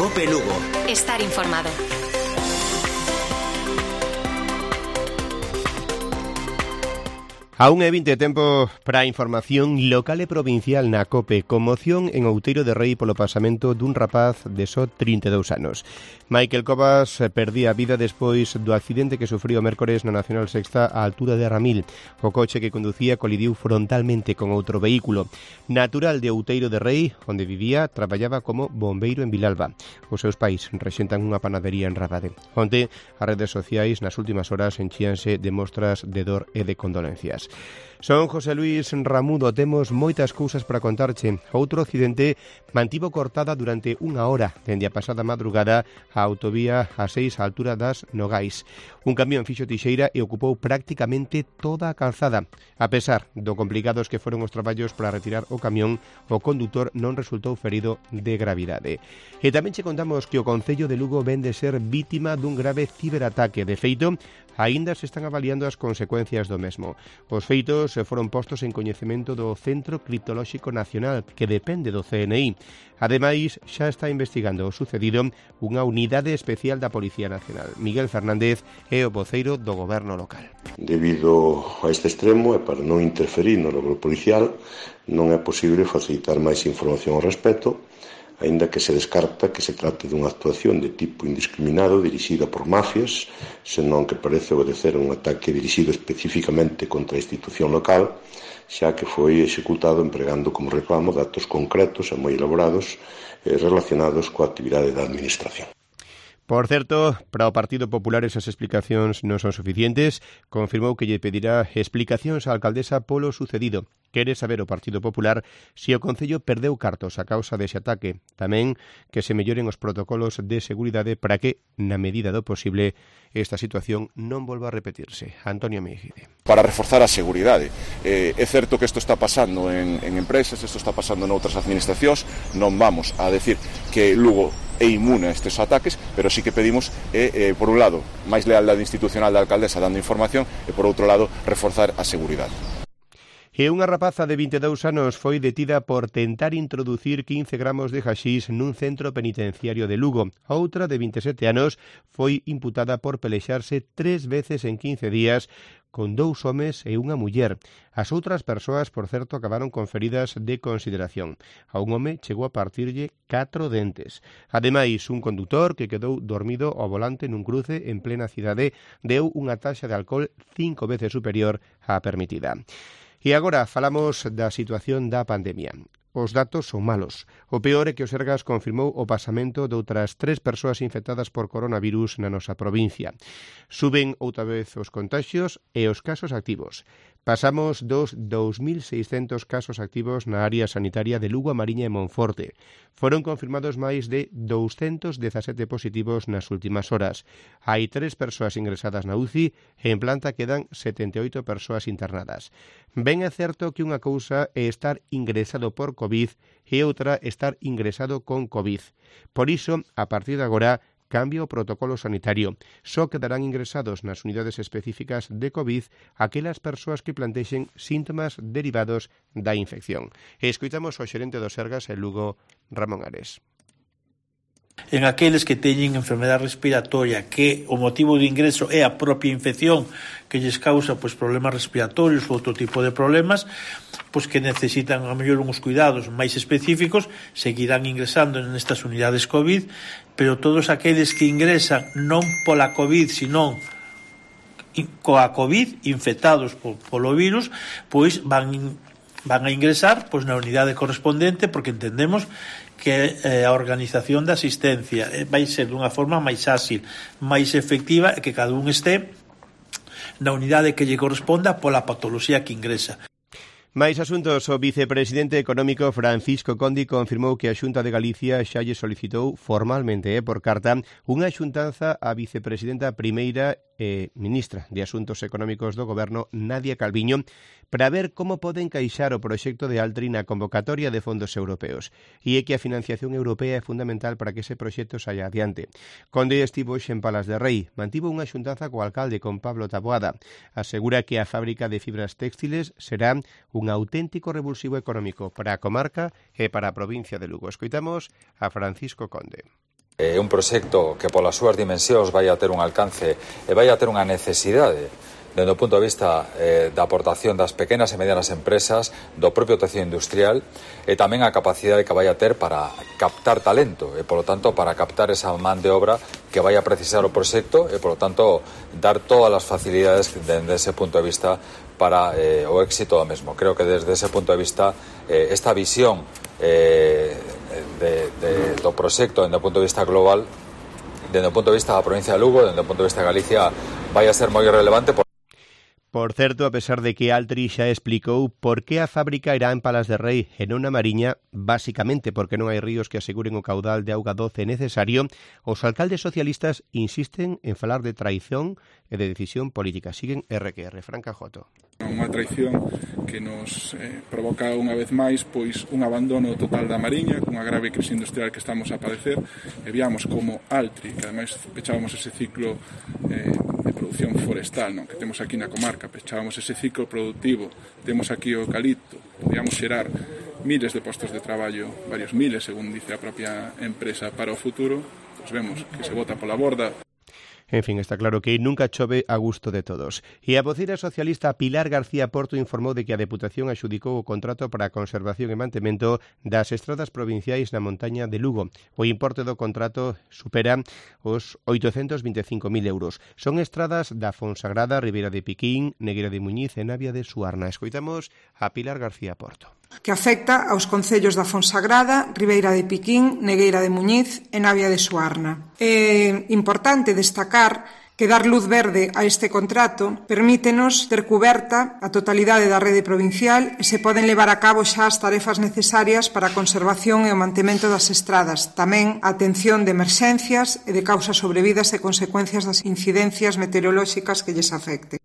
COPE Lugo. Estar informado. A 1:20 tempo para a información local e provincial na COPE. Conmoción en Outeiro de Rei polo pasamento dun rapaz de só 32 anos. Michael Cobas perdía a vida despois do accidente que sufriu o mércores na Nacional Sexta á altura de Ramil. O coche que conducía colidiu frontalmente con outro vehículo. Natural de Outeiro de Rei, onde vivía, traballaba como bombeiro en Vilalba. Os seus pais rexentan unha panadería en Rabade. Onte, as redes sociais nas últimas horas enchíanse de mostras de dor e de condolencias. Son José Luis Ramudo, temos moitas cousas para contarche. Outro accidente mantivo cortada durante unha hora dende a pasada madrugada a autovía A6 á altura das Nogais. Un camión fixo tixeira e ocupou prácticamente toda a calzada. A pesar do complicados que foron os traballos para retirar o camión, o condutor non resultou ferido de gravidade. E tamén che contamos que o Concello de Lugo vén de ser vítima dun grave ciberataque. De feito, aínda se están avaliando as consecuencias do mesmo. Os feitos foron postos en coñecemento do Centro Criptolóxico Nacional, que depende do CNI. Ademais, xa está investigando o sucedido unha unidade especial da Policía Nacional. Miguel Fernández é o voceiro do goberno local. Debido a este extremo e para non interferir no logro policial, non é posible facilitar máis información ao respecto, aínda que se descarta que se trate dunha actuación de tipo indiscriminado dirixida por mafias, senón que parece obedecer a un ataque dirixido especificamente contra a institución local, xa que foi executado empregando como reclamo datos concretos e moi elaborados relacionados coa actividade da administración. Por certo, para o Partido Popular esas explicacións non son suficientes. Confirmou que lle pedirá explicacións á alcaldesa polo sucedido. Quere saber o Partido Popular se o Concello perdeu cartos a causa dese ataque. Tamén que se melloren os protocolos de seguridade para que, na medida do posible, esta situación non volva a repetirse. Antonio Mejide. Para reforzar a seguridade. É certo que isto está pasando en empresas, isto está pasando noutras administracións. Non vamos a decir que Lugo é inmune a estes ataques, pero sí que pedimos, por un lado, máis lealdade institucional da alcaldesa dando información e, por outro lado, reforzar a seguridade. E unha rapaza de 22 anos foi detida por tentar introducir 15 gramos de haxís nun centro penitenciario de Lugo. A outra, de 27 anos, foi imputada por pelexarse 3 veces en 15 días con 2 homes e unha muller. As outras persoas, por certo, acabaron con feridas de consideración. A un home chegou a partirlle 4 dentes. Ademais, un condutor que quedou dormido ao volante nun cruce en plena cidade deu unha taxa de alcohol 5 veces superior á permitida. E agora falamos da situación da pandemia. Os datos son malos. O peor é que o Sergas confirmou o pasamento de outras 3 persoas infectadas por coronavirus na nosa provincia. Suben outra vez os contagios e os casos activos. Pasamos dos 2.600 casos activos na área sanitaria de Lugo, A Mariña e Monforte. Foron confirmados máis de 217 positivos nas últimas horas. Hai 3 persoas ingresadas na UCI e en planta quedan 78 persoas internadas. Ben é certo que unha cousa é estar ingresado por COVID e outra estar ingresado con COVID. Por iso, a partir de agora, cambia o protocolo sanitario. Só quedarán ingresados nas unidades específicas de COVID aquelas persoas que plantexen síntomas derivados da infección. E escoitamos o xerente do Sergas en Lugo, Ramón Ares. En aqueles que teñen enfermedade respiratoria que o motivo de ingreso é a propia infección que lles causa problemas respiratorios ou outro tipo de problemas, que necesitan a mellor uns cuidados máis específicos, seguirán ingresando nestas unidades COVID, pero todos aqueles que ingresan non pola COVID, senón coa COVID, infectados polo virus, van a ingresar na unidade correspondente, porque entendemos que a organización da asistencia vai ser dunha forma máis áxil, máis efectiva, e que cada un este na unidade que lle corresponda pola patoloxía que ingresa. Máis asuntos. O vicepresidente económico Francisco Conde confirmou que a Xunta de Galicia xa lle solicitou formalmente por carta unha xuntanza á vicepresidenta primeira e ministra de Asuntos Económicos do Goberno, Nadia Calviño, para ver como pode encaixar o proxecto de Altri na convocatoria de fondos europeos. E é que a financiación europea é fundamental para que ese proxecto saia adiante. Conde estivo en Palas de Rei, mantivo unha xuntanza co alcalde, con Pablo Taboada. Asegura que a fábrica de fibras textiles será un auténtico revulsivo económico para a comarca e para a provincia de Lugo. Escoitamos a Francisco Conde. Un proxecto que polas súas dimensións vai a ter un alcance e vai a ter unha necesidade dende o punto de vista da aportación das pequenas e medianas empresas, do propio tecido industrial e tamén a capacidade que vai a ter para captar talento e, polo tanto, para captar esa man de obra que vai a precisar o proxecto e, polo tanto, dar todas as facilidades dende ese punto de vista para o éxito do mesmo. Creo que desde ese punto de vista esta visión do proxecto dende o punto de vista global, dende o punto de vista da provincia de Lugo, dende o punto de vista de Galicia, vai a ser moi relevante. Por certo, a pesar de que Altri xa explicou por que a fábrica irá en Palas de Rei e non na Mariña, basicamente porque non hai ríos que aseguren o caudal de auga doce necesario, os alcaldes socialistas insisten en falar de traición e de decisión política. Siguen RQR. Fran Cajoto. Unha traición que nos provoca unha vez máis pois un abandono total da Mariña, cunha grave crise industrial que estamos a padecer, e viamos como Altri, que ademais pechábamos ese ciclo de produción forestal, non? Que temos aquí na comarca, pechábamos ese ciclo productivo, temos aquí o eucalipto, podíamos xerar miles de postos de traballo, varios miles, según dice a propia empresa, para o futuro, pois vemos que se bota pola borda. En fin, está claro que nunca chove a gusto de todos. E a voceira socialista Pilar García Porto informou de que a Deputación axudicou o contrato para a conservación e mantemento das estradas provinciais na montaña de Lugo. O importe do contrato supera os 825.000 euros. Son estradas da Fonsagrada, Ribeira de Piquín, Negueira de Muñiz e Navia de Suarna. Escoitamos a Pilar García Porto. Que afecta aos concellos da Fonsagrada, Ribeira de Piquín, Negueira de Muñiz e Navia de Suarna. É importante destacar que dar luz verde a este contrato permítenos ter cuberta a totalidade da rede provincial e se poden levar a cabo xa as tarefas necesarias para a conservación e o mantemento das estradas, tamén a atención de emerxencias e de causas sobrevidas e consecuencias das incidencias meteorolóxicas que lles afecte.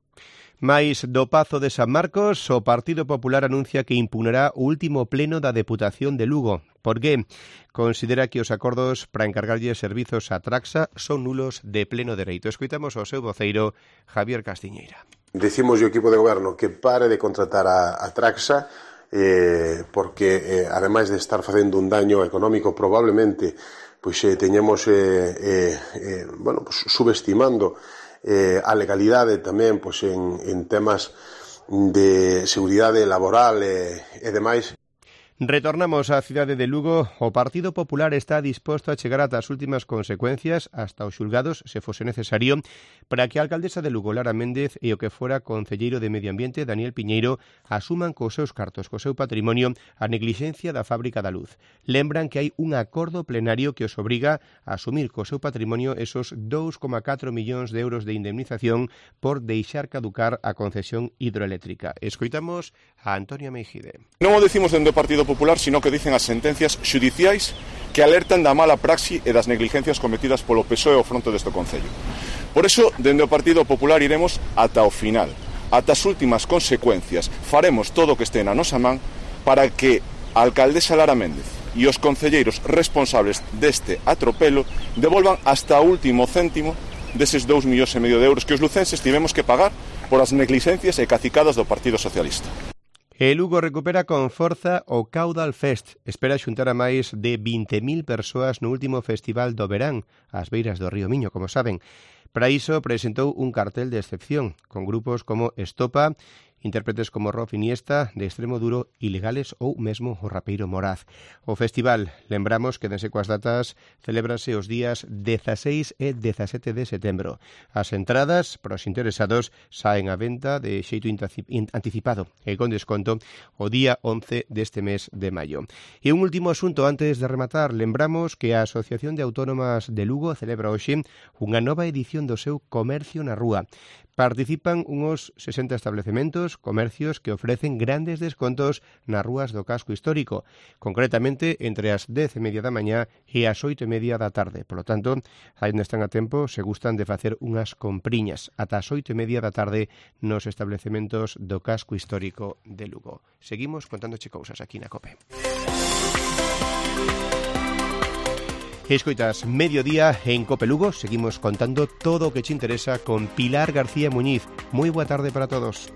Mais do Pazo de San Marcos, o Partido Popular anuncia que impugnará o último pleno da Deputación de Lugo. Por que? Considera que os acordos para encargarlle servizos a Traxa son nulos de pleno dereito. Escoitamos ao seu voceiro, Javier Castiñeira. Decimos ao equipo de goberno que pare de contratar a Traxa porque, ademais de estar facendo un daño económico, probablemente teñamos subestimando a legalidade tamén en temas de seguridade laboral e demais. Retornamos á cidade de Lugo. O Partido Popular está disposto a chegar ata as últimas consecuencias, hasta os xulgados, se fose necesario, para que a alcaldesa de Lugo, Lara Méndez, e o que fora concelleiro de Medio Ambiente, Daniel Piñeiro, asuman cos seus cartos, co seu patrimonio, a neglixencia da Fábrica da Luz. Lembran que hai un acordo plenario que os obriga a asumir co seu patrimonio esos 2,4 millóns de euros de indemnización por deixar caducar a concesión hidroeléctrica. Escoitamos a Antonio Meijide. Non o decimos dende o Partido Popular, sino que dicen as sentencias xudiciais que alertan da mala praxi e das negligencias cometidas polo PSOE ao fronte deste Concello. Por iso, dende o Partido Popular iremos ata o final, ata as últimas consecuencias. Faremos todo o que este na nosa man para que a alcaldesa Lara Méndez e os concelleiros responsables deste atropelo devolvan hasta o último céntimo deses 2,5 millóns de euros que os lucenses tivemos que pagar por as negligencias e cacicadas do Partido Socialista. E Lugo recupera con forza o Caudal Fest. Espera xuntar a máis de 20.000 persoas no último festival do verán, ás beiras do río Miño, como saben. Para iso presentou un cartel de excepción, con grupos como Estopa, intérpretes como Rof Iniesta, de Extremo Duro, Ilegales ou mesmo o rapeiro Moraz. O festival, lembramos que dense coas datas, celébrase os días 16 e 17 de setembro. As entradas para os interesados saen á venta de xeito anticipado e con desconto o día 11 deste mes de maio. E un último asunto antes de rematar, lembramos que a Asociación de Autónomas de Lugo celebra hoxe unha nova edición do seu Comercio na Rúa. Participan uns 60 establecementos, comercios que ofrecen grandes descontos nas rúas do casco histórico, concretamente entre as 10:30 da mañá e as 8:30 da tarde. Por lo tanto, aí onde están a tempo, se gustan de facer unhas compriñas ata as 8:30 da tarde nos establecementos do casco histórico de Lugo. Seguimos contándoche cousas aquí na COPE. Escoitas Mediodía en Cope Lugo. Seguimos contando todo o que te interesa con Pilar García Muñiz. Moi boa tarde para todos.